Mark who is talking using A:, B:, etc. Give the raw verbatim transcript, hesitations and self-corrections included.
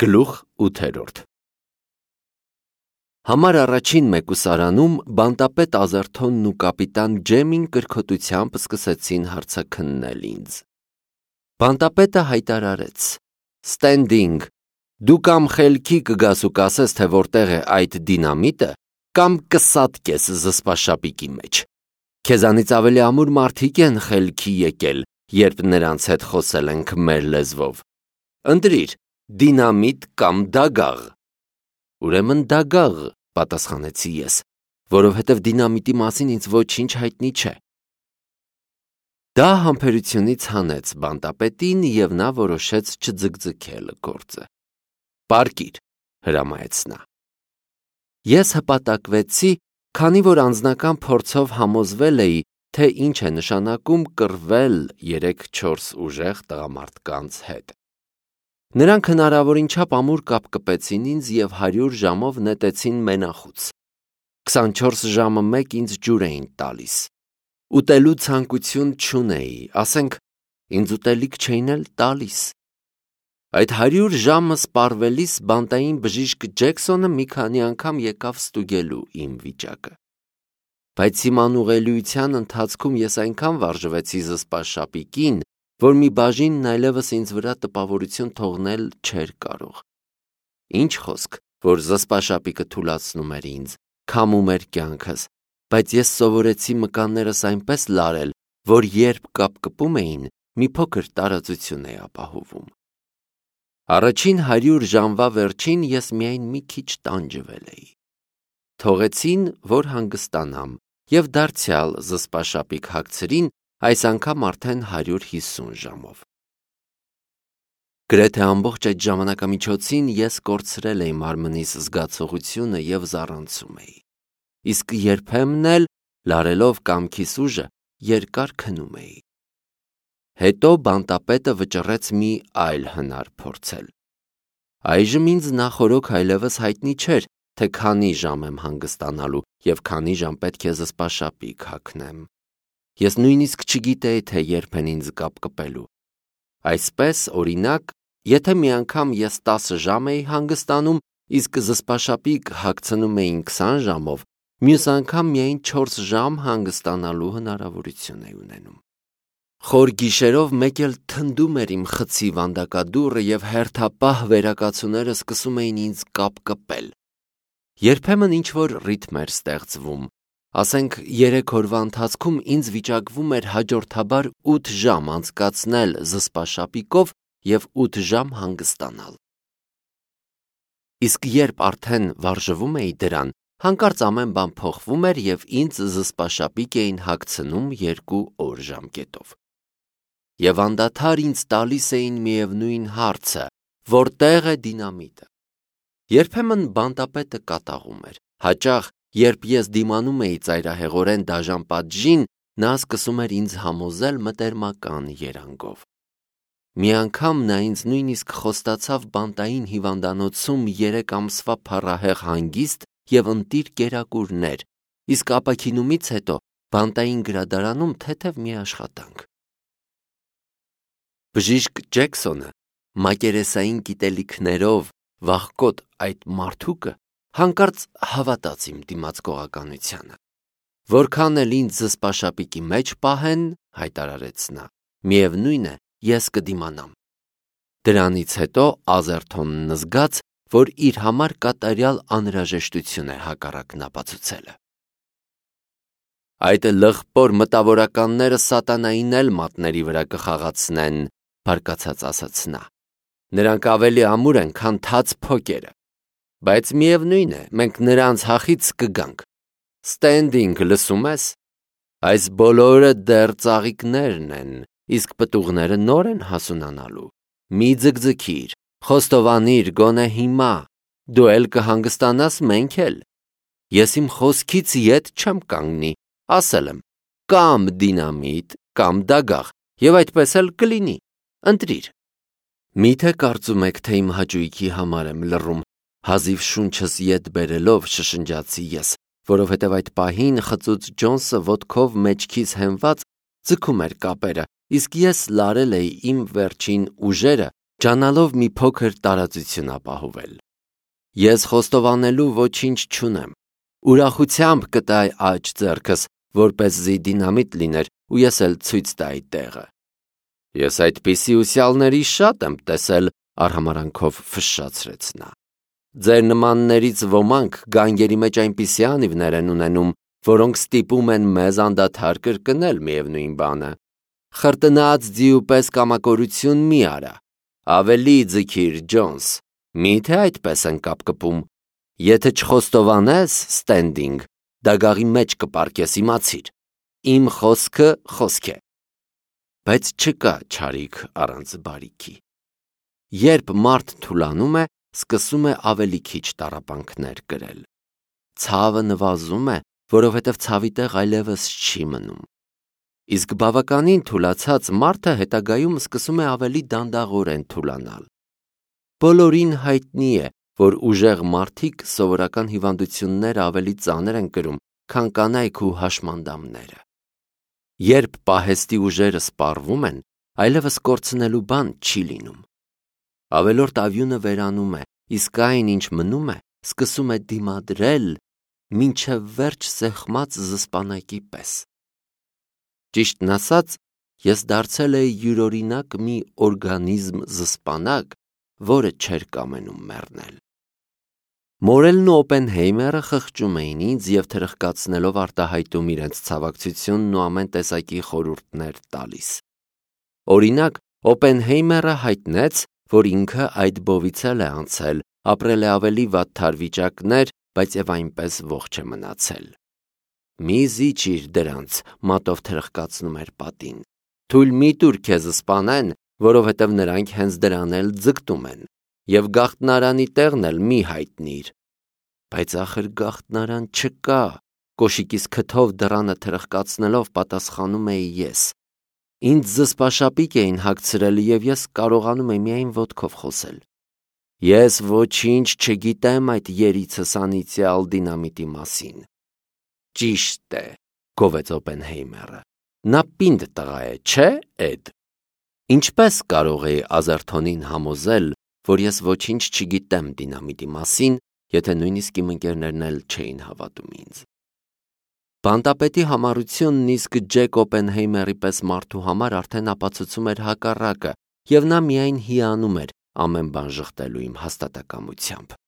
A: Գլուխ ութերորդ Համար առաջին մեկուսարանում բանտապետ Ազերթոնն ու կապիտան Ջեմին կրքոտությամբ սկսեցին հարցաքննել ինձ։ Բանտապետը հայտարարեց. Ստենդինգ, դու կամ խելքի կգաս ու կասես, թե որտեղ է այդ դինամիտը, կամ կսատկես զսպաշապիկի մեջ։ Քեզանից ավելի ամուր մարդիկ են խելքի եկել, երբ նրանց հետ խոսել ենք մեր լեզվով։ Ընտրիր, դինամիտ կամ դագաղ։ Ուրեմն դագաղ, պատասխանեցի ես, որովհետև դինամիտի մասին ինձ ոչինչ հայտնի չէ։ Դա համբերությունից հանեց բանտապետին և նա որոշեց չձգձգել գործը։ Պարկիր, հրամայեց նա։ Ես հպատակվեցի, քանի որ անձնական փորձով համոզվել էի, թե ինչ է նշանակում կռվել երեք-չորս ուժեղ տղամարդկանց հետ։ Նրանք հնարավորին չափ ամուր կապկպեցին ինձ և հարյուր ժամով նետեցին մենախուց։ քսանչորս ժամը մեկ ինձ ջուր էին տալիս։ Ուտելու ցանկություն չունեի, ասենք, ինձ ուտելիք չէին էլ տալիս։ Այդ հարյուր ժամը սպառվելիս բանտային բժիշկ Ջեքսոնը մի քանի անգամ եկավ ստուգելու իմ վիճակը։ Բայց իմ անուղելիության ընթացքում ես այնքան վարժվեցի զսպաշապիկին, որ մի բաժինն այլևս ինձ վրա տպավորություն թողնել չէր կարող։ Ինչ խոսք, որ զսպաշապիկը թուլացնում էր ինձ, քամում էր կյանքս, բայց ես սովորեցի մկաններս այնպես լարել, որ երբ կապկպում էին, մի փոքր տարածություն էի ապահովում։ Առաջին հարյուր ժամվա վերջին ես միայն մի քիչ տանջվել էի։ Թողեցին, որ հանգստանամ, և դարձյալ զսպաշապիկ հագցրին, այս անգամ արդեն հարյուր հիսուն ժամով։ Գրեթե ամբողջ այդ ժամանակամիջոցին ես կորցրել էի մարմնիս զգացողությունը և զառանցում էի, իսկ երբեմն էլ, լարելով կամքիս ուժը, երկար քնում էի։ Հետո բանտապետը վճռեց մի այլ հնար փորձել։ Այժմ ինձ նախօրոք այլևս հայտնի չէր, թե քանի ժամ եմ հանգստանալու և քանի ժամ պետք է զսպաշապիկ հագնեմ։ Ես նույնիսկ չգիտեի, թե երբ են ինձ կապկպելու։ Այսպես, օրինակ, եթե մի անգամ ես տասը ժամ էի հանգստանում, իսկ զսպաշապիկ հագցնում էին քսան ժամով, մյուս անգամ միայն չորս ժամ հանգստանալու հնարավորություն էի ունենում։ Խոր գիշերով մեկ էլ թնդում էր իմ խցի վանդակադուռը և հերթապահ վերակացուները սկսում էին ինձ կապկպել։ Երբեմն ինչ-որ ռիթմ էր ստեղծվում։ Ասենք, երեք օրվա ընթացքում ինձ վիճակվում էր հաջորդաբար ութ ժամ անցկացնել զսպաշապիկով և ութ ժամ հանգստանալ։ Իսկ երբ արդեն վարժվում էի դրան, հանկարծ ամեն բան փոխվում էր և ինձ զսպաշապիկ էին հագցնում երկու օր ժամկետով։ Եվ անդադար ինձ տալիս էին միևնույն հարցը. որտե՞ղ է դինամիտը։ Երբեմն բանտապետը կատաղում էր։ Հաճախ, երբ ես դիմանում էի ծայրահեղորեն դաժան պատժին, նա սկսում էր ինձ համոզել մտերմական երանգով։ Մի անգամ նա ինձ նույնիսկ խոստացավ բանտային հիվանդանոցում երեք ամսվա փառահեղ հանգիստ և ընտիր կերակուրներ, իսկ ապաքինումից հետո բանտային գրադարանում թեթև մի աշխատանք։ Բժիշկ Ջեքսոնը մակերեսային գիտելիքներով վախկոտ այդ մարդուկը հանկարծ հավատաց իմ դիմացկողականությանը։ Որքան էլ ինձ զսպաշապիկի մեջ պահեն, հայտարարեց նա, միևնույն է, ես կդիմանամ։ Դրանից հետո Ազերթոնն զգաց, որ իր համար կատարյալ անհրաժեշտություն է հակառակն ապացուցելը։ Այդ լղպոր մտավորականները սատանային էլ մատների վրա կխաղացնեն, բարկացած ասաց նա։ Նրանք ավելի ամուր են, քան թաց փոկերը։ Բայց միևնույն է, մենք նրանց հախից կգանք։ Ստենդինգ, լսում ես։ Այս բոլորը դեռ ծաղիկներն են, իսկ պտուղները նոր են հասունանալու։ Մի ձգձգիր, խոստովանիր գոնե հիմա, դու էլ կհանգստանաս, մենք էլ։ Ես իմ խոսքից ետ չեմ կանգնի, ասել եմ, կամ դինամիտ, կամ դագաղ, և այդպես էլ կլինի, ընտրիր։ Միթե կարծում եք, թե իմ հաճույքի համար եմ լռում, հազիվ շունչս ետ բերելով շշնջացի ես, որովհետև այդ պահին խծուծ Ջոնսը ոտքով մեջքիս հենված ձգում էր կապերը, իսկ ես լարել էի իմ վերջին ուժերը, ճանալով մի փոքր տարածություն ապահովել։ Ես խոստովանելու ոչինչ չունեմ, ուրախությամբ կտայի աջ ձեռքս, որպեսզի դինամիտ լիներ ու ես էլ ցույց տայի տեղը։ Ես այդպիսի ուսյալների շատ եմ տեսել, արհամարանքով ֆշշացրեց նա։ Ձեր նմաններից ոմանք գանգերի մեջ այնպիսի անիվներ են ունենում, որոնք ստիպում են մեզ անդադար կրկնել միևնույն բանը։ Խրտնած ձիու պես կամակորություն մի արա, ավելի ձգիր, Ջոնս, միթե այդպես են կապկպում։ Եթե չխոստովանես, Ստենդինգ, դագաղի մեջ կպարկես, իմացիր։ Իմ խոսքը խոսք է։ Բայց չկա չարիք առանց բարիքի։ Երբ մարդ թուլանում է, սկսում է ավելի քիչ տառապանքներ կրել։ Ցավը նվազում է, որովհետև ցավի տեղ այլևս չի մնում։ Իսկ բավականին թուլացած մարդը հետագայում սկսում է ավելի դանդաղորեն թուլանալ։ Բոլորին հայտնի է, որ ուժեղ մարդիկ սովորական հիվանդությունները ավելի ծանր են կրում, քան կանայք ու հաշմանդամները։ Երբ պահեստի ուժերը սպառվում են, այլևս կորցնելու բան չի լինում։ Ավելորդ ավյունը վերանում է, իսկ այն, ինչ մնում է, սկսում է դիմադրել, մինչև վերջ սեղմած զսպանակի պես։ Ճիշտն ասած, ես դարձել էի յուրօրինակ մի օրգանիզմ զսպանակ, որը չէր կամենում մեռնել։ Մորելն ու Օպենհեյմերը խղճում էին ինձ և թրխկացնելով արտահայտում իրենց ցավակցությունն ու ամեն տեսակի խորհուրդներ տալիս։ Օրինակ, Օպենհեյմերը հայտնեց, որ ինքը այդ բովից էլ է անցել, ապրել է ավելի վատթար վիճակներ, բայց և այնպես ողջ է մնացել։ Մի զիջիր դրանց, մատով թրխկացնում էր պատին։ Թույլ մի տուր քեզ սպանեն, որովհետև նրանք հենց դրան էլ ձգտում են, և գաղտնարանի տեղն էլ մի հայտնիր։ Բայց ախր գաղտնարան չկա, կոշիկիս քթով դռանը թրխկացնելով պատասխանում էի ես։ Ինձ զսպաշապիկ էին հագցրել և ես կարողանում էի միայն ոտքով խոսել։ Ես ոչինչ չգիտեմ այդ երիցս անիծյալ դինամիտի մասին։ Ճիշտ է, գովեց Օպենհեյմերը։ Նա պինդ տղա է, չէ՞, Էդ։ Ինչպես կարող էի Ազերթոնին համոզել, որ ես ոչինչ չգիտեմ դինամիտի մասին, եթե նույնիսկ իմ ընկերներն էլ չէին հավատում ինձ։ Բանտապետի համառությունն իսկ Ջեք Օպենհեյմերի պես մարդու համար արդեն ապացուցում էր հակառակը, և նա միայն հիանում էր ամեն բան ժխտելու իմ հաստատակամությամբ։